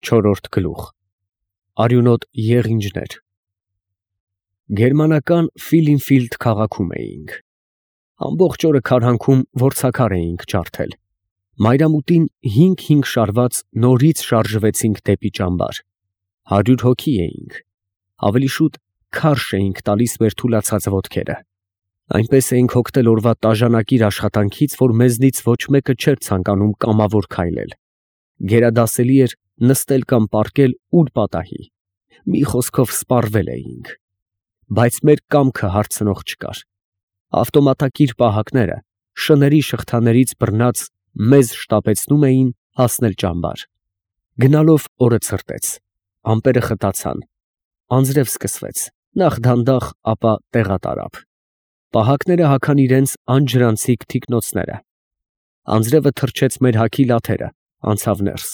Չորրորդ գլուխ Արյունոտ եղինջներ Գերմանական Ֆիլինֆիլդ քաղաքում էինք։ Ամբողջ օրը քարհանքում որցաքար էինք ջարդել։ Մայրամուտին 5 շարված նորից շարժվեցինք դեպի ճամբար։ 100 հոգի էինք։ Ավելի շուտ քարշ էինք տալիս մեր թուլացած ոտքերը։ Այնպես էինք հոգնել օրվա տաժանակիր աշխատանքից, որ մեզնից ոչ մեկը չէր ցանկանում կամավոր քայլել։ Գերադասելի էր նստել կամ պառկել ուր պատահի։ Մի խոսքով սպառվել էինք։ Բայց մեր կամքը հարցնող չկար։ Ավտոմատակիր պահակները շների շղթաներից բռնած մեզ շտապեցնում էին հասնել ճամբար։ Գնալով օրը ցրտեց, ամպերը խտացան, անձրև սկսվեց, նախ դանդաղ, ապա տեղատարավ։ Պահակները հագան իրենց անջրանցիկ թիկնոցները։ Անձրևը թրջեց մեր հագի լաթերը, անցավ ներս։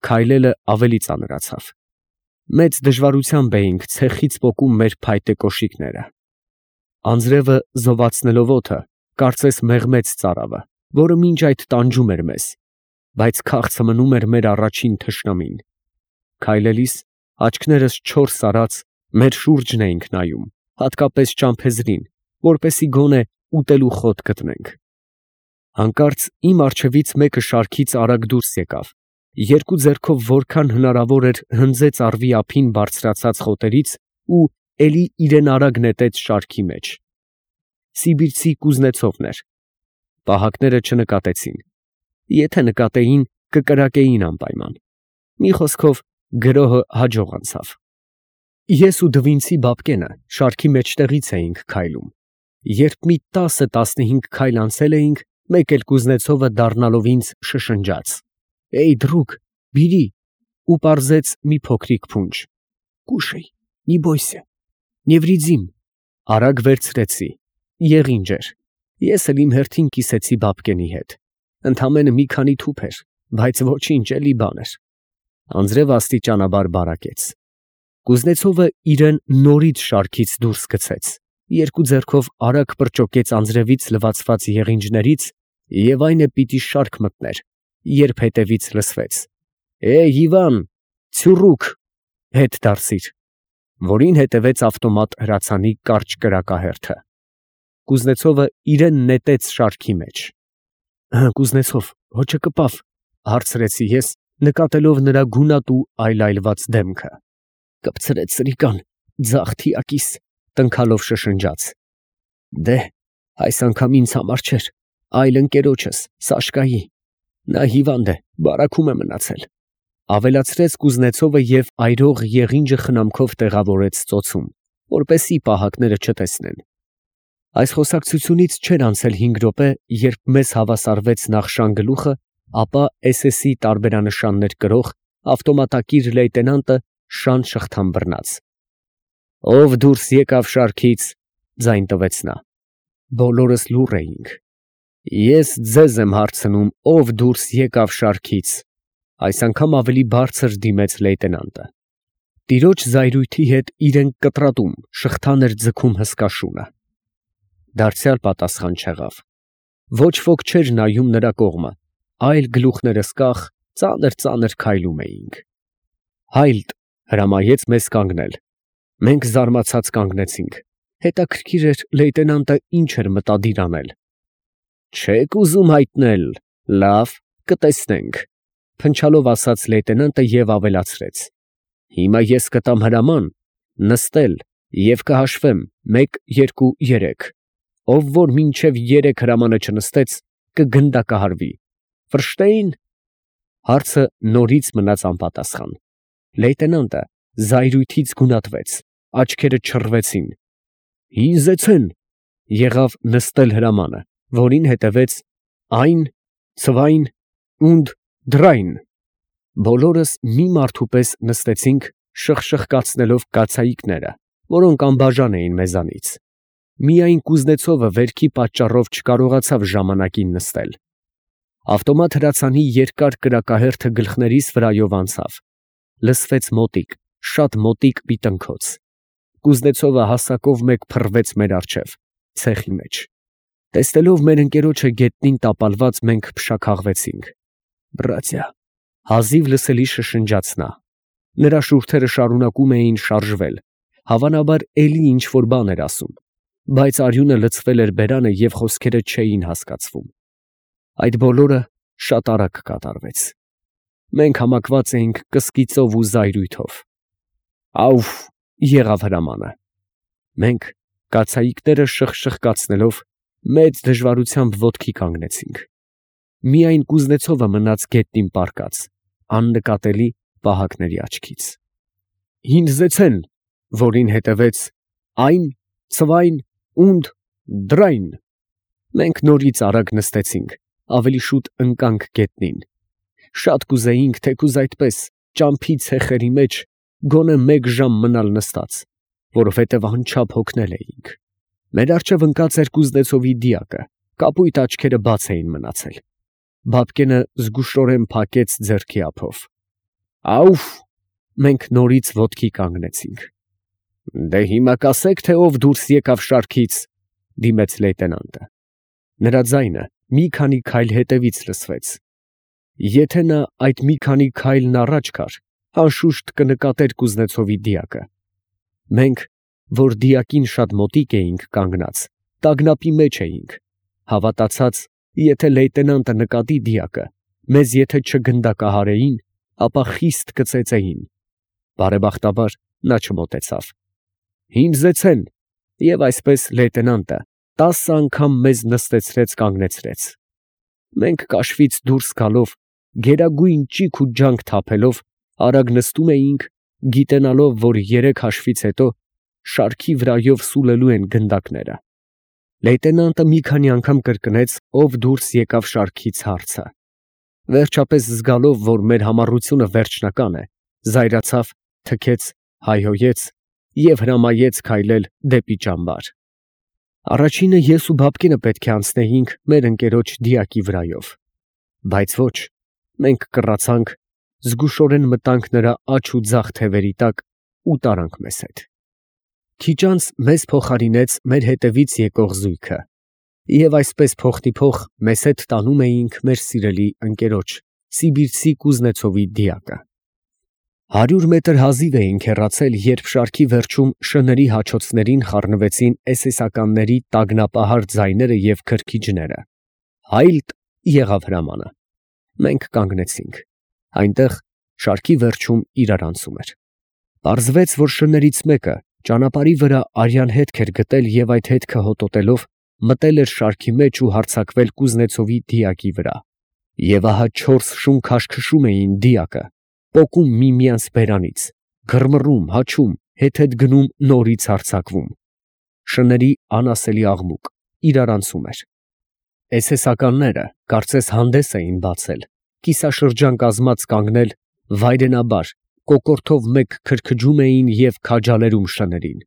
Քայլելը ավելի ծանրացավ։ Մեծ դժվարությամբ էինք ցեխից պոկում մեր փայտե կոշիկները։ Անձրևը զովացնելով օդը, կարծես մեղմեց ծարավը, որը մինչ այդ տանջում էր մեզ, բայց քաղցը մնում էր մեր առաջին թշնամին։ Քայլելիս աչքներս չորս արած մեր շուրջն էինք նայում, հատկապես ճամփեզրին, որպեսզի գոնե ուտելու խոտ գտնենք։ Հանկարծ իմ առջևից մեկը շարքից արագ դուրս եկավ, երկու ձեռքով որքան հնարավոր էր հնձեց առվի ափին բարձրացած խոտերից ու էլի իրեն արագ նետեց շարքի մեջ։ Սիբիրցի Կուզնեցովն էր։ Պահակները չնկատեցին։ Եթե նկատեին, կկրակեին անպայման։ Մի խոսքով գրոհը հաջող անցավ։ Ես ու Դվինցի Բաբկենը շարքի մեջտեղից էինք քայլում։ Երբ մի 10-15 քայլ անցել էինք, մեկ էլ Կուզնեցովը դառնալով ինձ շշնջաց. «Էյ, դրուկ, բիրի» ու պարզեց մի փոքրիկ փունջ։ «Կուշեյ, նի բոյսե, նևրիձիմ»։ Արագ վերցրեցի։ Եղինջ էր։ Ես էլ իմ հերթին կիսեցի Բաբկենի հետ։ Ընդամենը մի քանի թուփ էր, բայց ոչինչ, էլի բան էր։ Անձրևը աստիճանաբար բարակեց։ Կուզնեցովը իրեն նորից շարքից դուրս գցեց, երկու ձեռքով արագ պրճոկեց անձրևից լվացված եղինջներից և այն է պիտի շարք մտներ, երբ հետևից լսվեց. «Էյ, Իվան, ցյուրուկ, հետ դարսիր», որին հետևեց ավտոմատ հրացանի կարճ կրակահերթը։ Կուզնեցովը իրեն նետեց շարքի մեջ։ «Կուզնեցով, հոչը կպավ», հարցրեցի ես, նկատելով նրա գունատ ու այլայլված դեմքը։ «Կպցրեց սրիկան, ձախ թիակիս», տնքալով շշնջաց։ «Դե, այս անգամ ինձ համար չէր, այլ ընկերոջս, Սաշկայի, նա հիվանդ է, բարաքում է մնացել», ավելացրեց Կուզնեցովը և այրող եղինջը խնամքով տեղավորեց ծոցում, որպեսզի պահակները չտեսնեն։ Այս խոսակցությունից չէր անցել 5 րոպե, երբ մեզ հավասարվեց նախ շանգլուխը, ապա SS-ի տարբերանշաններ կրող ավտոմատակիր լեյտենանտը շան շղթան բռնած։ «Ով դուրս եկավ շարքից», ձայն տվեց նա։ Բոլորս լուռ էինք։ «Ես ձեզ եմ հարցնում, ով դուրս եկավ շարքից», այս անգամ ավելի բարձր դիմեց լեյտենանտը։ Տիրոջ զայրույթի հետ իրեն կտրատում, շղթան էր ձգում հսկա շունը։ Դարձյալ պատասխան չեղավ։ Ոչ ոք չէր նայում նրա կողմը, այլ գլուխներս կախ, ծանր քայլում էինք։ «Հայլտ», հրամայեց մեզ կանգնել։ Մենք զարմացած կանգնեցինք։ Հետաքրքիր էր լեյտենանտը ինչ էր մտադիր անել։ «Չեք ուզում հայտնել, լավ, կտեսնենք», փնչալով ասաց լեյտենանտը և ավելացրեց. «Հիմա ես կտամ հրաման նստել և կհաշվեմ 1, 2, 3, ով որ մինչև 3 հրամանը չնստեց, կգնդակահարվի։ Ֆրշտեյն»։ Հարցը նորից մնաց անպատասխան։ Լեյտենանտը զայրույթից գունատվեց, աչքերը չռվեցին։ «Հինզեցեն» եղավ նստել հրամանը, որին հետևեց «Այն, ցվայն und drein»։ Բոլորս մի մարդու պես նստեցինք, շխկացնելով կացայիկները, որոնք անբաժան էին մեզանից։ Միայն Կուզնեցովը վերքի պատճառով չկարողացավ ժամանակին նստել։ Ավտոմատ հրացանի երկար կրակահերթը գլխներիս վրայով անցավ։ Լսվեց մոտիկ, շատ մոտիկ մի տնքոց։ Կուզնեցովը հասակով մեկ փռվեց մեր առջև, ցեխի մեջ։ Տեսնելով մեր ընկերոջը գետնին տապալված, մենք փշաքաղվեցինք։ «Բրատյա, Հազիվ լսելի շշնջաց նա։ Նրա շուրթերը շարունակում էին շարժվել, հավանաբար էլի ինչ-որ բան էր ասում, բայց արյունը լցվել էր բերանը և խոսքերը չէին հասկացվում։ Այդ բոլորը շատ արագ կատարվեց։ Մենք համակված էինք կսկիծով ու զայրույթով։ Աուֆ, եղավ հրամանը։ Մենք, կացայիկները շխկացնելով, մեծ դժվարությամբ ոտքի կանգնեցինք։ Միայն Կուզնեցովը մնաց գետնին պառկած, աննկատելի պահակների աչքից։ Հինձեցեն, որին հետևեց այն, ցվայն, ունդ, դրայն։ Մենք նորից արագ նստեցինք, ավելի շուտ ընկանք գետնին։ Շատ կուզեինք, թեկուզ այդպես, ճամփի ցեխերի մեջ, գոնե մեկ ժամ մնալ նստած, որովհետև անչափ հոգնել էինք։ Մեր առջև ընկած էր Կուզնեցովի դիակը, կապույտ աչքերը բաց էին մնացել։ Բաբկենը զգուշորեն փակեց ձեռքի ափով։ Աուֆ, մենք նորից ոտքի կանգնեցինք։ Դե հիմա կասեք, թե ով դուրս եկավ շարքից, դիմեց լեյտենանտը։ Նրա ձայնը մի քանի քայլ հետևից լսվեց։ Եթե նա այդ մի քանի քայլն առաջ գար, անշուշտ կնկատեր Կուզնեցովի դիակը։ Մենք, որ դիակին շատ մոտիկ էինք կանգնած, տագնապի մեջ էինք, հավատացած, եթե լեյտենանտը նկատի դիակը, մեզ եթե չգնդակահարեին, ապա խիստ կծեծեին։ Բարեբախտաբար նա չմոտեցավ։ Հինձեցեն, և այսպես լեյտենանտը 10 անգամ մեզ նստեցրեց կանգնեցրեց։ Մենք կաշվից դուրս գալով, գերագույն ճիգ ու ջանք թափելով, արագ նստում էինք, գիտենալով, որ 3 հաշվից հետո շարքի վրայով սուլելու են գնդակները։ Լեյտենանտը մի քանի անգամ կրկնեց, ով դուրս եկավ շարքից հարցը։ Վերջապես զգալով, որ մեր համառությունը վերջնական է, զայրացավ, թքեց, հայհոյեց և հրամայեց քայլել դեպի ճամբար։ Առաջինը ես ու Բաբկենը պետք է անցնեինք մեր ընկերոջ դիակի վրայով, բայց ոչ, մենք կռացանք, զգուշորեն մտանք նրա աջ ու ձախ թևերի տակ ու տարանք մեզ հետ։ Քիչ անց մեզ փոխարինեց մեր հետևից եկող զույգը, և այսպես փոխտիփոխ մեզ հետ տանում էինք մեր սիրելի ընկերոջ, սիբիրցի Կուզնեցովի դիակը։ 100 մետր հազիվ էինք հեռացել, երբ շարքի վերջում շների հաչոցներին խառնվեցին էսեսականների տագնապահար ձայները և քրքիջները։ Հայլտ, եղավ հրամանը։ Մենք կանգնեցինք։ Այնտեղ շարքի վերջում իրարանցում էր։ Պարզվեց, որ շներից մեկը ճանապարհի վրա արյան հետք էր գտել և այդ հետքը հոտոտելով մտել էր շարքի մեջ ու հարձակվել Կուզնեցովի դիակի վրա։ Եվ ահա 4 շուն քաշքշում էին դիակը, պոկում միմյանց բերանից, գրմռում, հաչում, հետ գնում, նորից հարձակվում։ Շների անասելի աղմուկ, իրարանցում էր։ Էսեսականները կարծես հանդես էին բացել, կիսաշրջան կազմած կանգնել, վայրենաբար, կոկորդով մեկ քրքջում էին և քաջալերում շներին։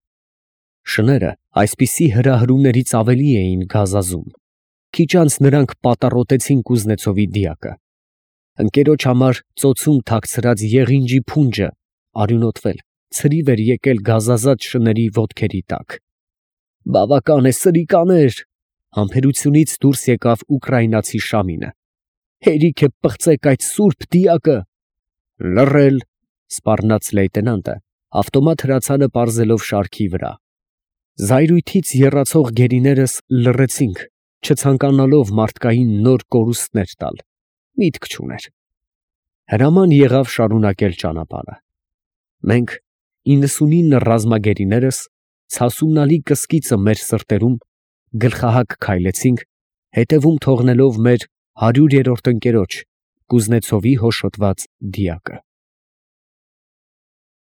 Շները այսպիսի հրահրումներից ավելի էին գազազում։ Քիչ անց նրանք պատառոտեցին Կուզնեցովի դիակը։ Ընկերոջ համար ծոցում թաքցրած եղինջի փունջը արյունոտվել, ցրիվ էր եկել գազազած շների ոտքերի տակ։ Բավական է, սրիկաներ, համբերությունից դուրս եկավ ուկրաինացի Շամինը։ Հերիք է պղծեք այդ սուրբ դիակը։ Լռել, սպառնաց լեյտենանտը, ավտոմատ հրացանը պարզելով շարքի վրա։ Զայրույթից եռացող գերիներս լռեցինք, չցանկանալով մարդկային նոր կորուստներ տալ, միտք չուներ։ Հրաման եղավ շարունակել ճանապարհը։ Մենք 99 ռազմագերիներս ցասումնալի կսկիծը մեր սրտերում գլխահակ քայլեցինք, հետևում թողնելով մեր 100-րդ ընկերոջ Կուզնեցովի հոշոտված դիակը։